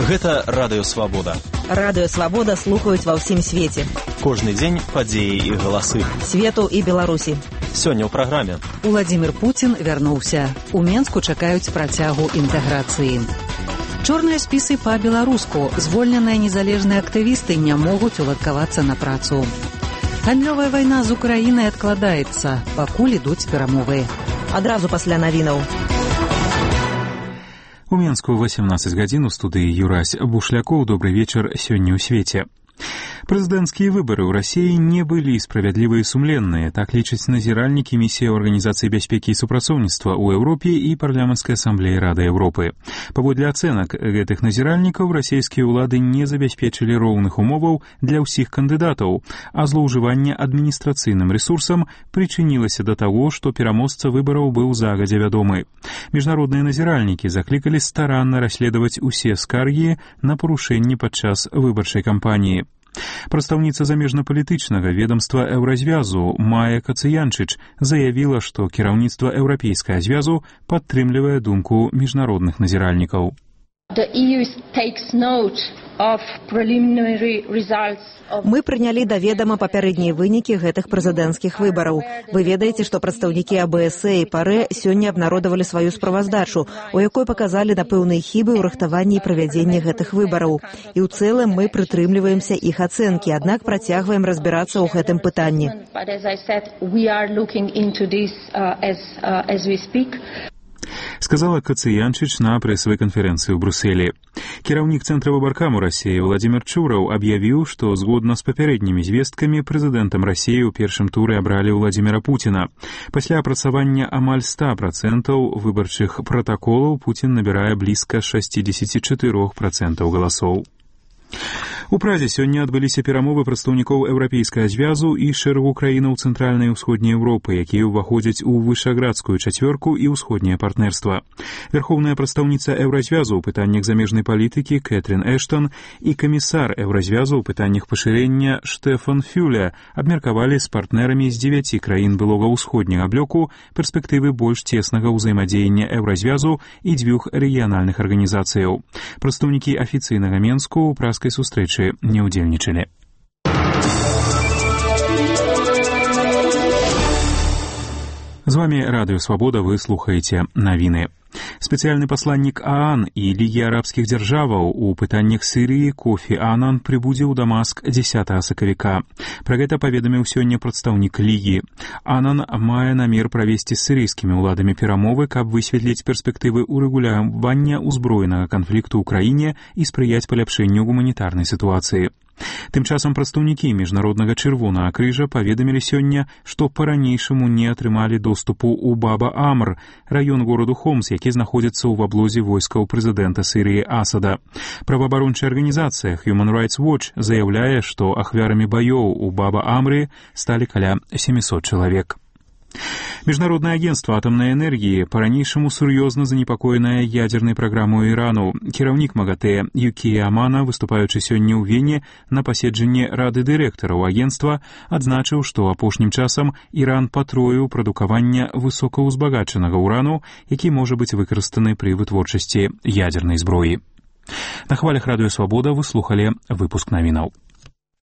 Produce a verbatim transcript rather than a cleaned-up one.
Гэта Радыё Свабода. Радыё Свабода слухаюць ва ўсім свеце. Кожны дзень падзеі і галасы. Свету і Беларусі. Сёння ў праграме. Уладзімір Пуцін вярнуўся. У Менску чакаюць працягу інтэграцыі. Чорныя спісы па-беларуску. Звольненыя незалежныя актывісты не могуць уладкавацца на працу. Гандлёвая вайна з Украінай адкладаецца, пакуль ідуць перамовы. Адразу пасля навінаў. У Менску восемнадцать гадзін у студыі Юрась Бушлякоў. Добрый вечер сёння ў свеце. Прэзідэнцкія выбары ў Расіі не былі справядлівыя і сумленныя, так лічаць назіральнікі місіі Арганізацыі бяспекі і супрацоўніцтва ў Еўропе і парламенцкай асамблеі Рады Еўропы. Паводле ацэнак гэтых назіральнікаў, расійскія ўлады не забяспечылі роўных умоваў для ўсіх кандыдатаў, а злоўжыванне адміністрацыйным рэсурсам прычынілася да таго, што пераможца выбараў быў загадзя вядомы. Міжнародныя назіральнікі заклікалі старанна расследаваць усе скаргі на парушэнні падчас выбарчай кампаніі. Прадстаўніца замежнапалітычнага ведамства Еўразвязу Майя Кацыянчыч заявіла, што кіраўніцтва Еўрапейскага звязу падтрымлівае думку міжнародных назіральнікаў. Мы прынялі да ведама папярэднія вынікі гэтых прэзідэнцкіх выбараў. Вы ведаеце, што прадстаўнікі А Бэ Эс і ПАРЭ сёння абнародавалі сваю справаздачу, у якой паказалі на пэўныя хібы ў рыхтаванні і правядзенні гэтых выбараў. І ў цэлым мы прытрымліваемся іх ацэнкі, аднак працягваем разбірацца ў гэтым пытанні. Сказала Кацыянчыч на прэсавай канферэнцыі ў Брусэлі. Кіраўнік Цэнтра выбаркаму Расіі Уладзімір Чураў аб'явіў, што згодна з папярэднімі звесткамі прэзідэнтам Расіі ў першым туры абралі Уладзіміра Пуціна. Пасля апрацавання амаль сто працэнтаў выбарчых пратаколаў Пуцін набірае блізка шэсцьдзесят чатыры працэнты галасоў. У Празе сёння адбыліся перамовы прадстаўнікоў Еўрапейскага звязу і шэрагу краінаў цэнтральнай і ўсходняй Еўропы, якія ўваходзяць у вышаградскую чацвёрку і ўсходняе партнерства. Вярхоўная прадстаўніца Еўразвязу ў пытаннях замежнай палітыкі Кэтрин Эштон і камісар Еўразвязу ў пытаннях пашырэння Штефан Фюле абмеркавалі з партнерамі з дзевяці краін былога ўсходняга блоку перспектывы больш цеснага ўзаемадзеяння Еўразвязу і дзвюх рэгіянальных арганізацыяў. Прадстаўнікі афіцыйнага Менску ў праскай сустрэчы не удзельнічалі. З вами Радыё Свабода, вы слухаеце навіны. Спецыяльны пасланнік ААН і Лігі арабскіх дзяржаваў у пытаннях Сірыі Кофі Анан прыбудзе ў Дамаск дзесятага сакавіка. Пра гэта паведаміў сёння прадстаўнік Лігі. Анан мае намер правесці з сірыйскімі ўладамі перамовы, каб высветліць перспектывы ўрэгулявання ўзброенага канфлікту ў краіне і спрыяць паляпшэнню гуманітарнай сітуацыі. Тым часам прадстаўнікі міжнароднага чырвонага крыжа паведамілі сёння, што па-ранейшаму не атрымалі доступу ў Баба-Амр, раён гораду Хомс, які знаходзіцца ў аблозе войскаў прэзідэнта Сірыі Асада. Праваабарончая арганізацыя Human Rights Watch заяўляе, што ахвярамі баёў у Баба-Амры сталі каля сямісот чалавек. Міжнароднае агенцтва атамнай энергіі па-ранейшаму сур'ёзна занепакоенае ядзернай праграмай Ірану. Кіраўнік МАГАТЭ Юкія Амана, выступаючы сёння ў Вене на паседжанні рады дырэктараў агенцтва, адзначыў, што апошнім часам Іран патроіў прадукаванне высокаўзбагачанага ўрану, які можа быць выкарыстаны пры вытворчасці ядзернай зброі. На хвалях Радыё Свабода вы слухалі выпуск навінаў.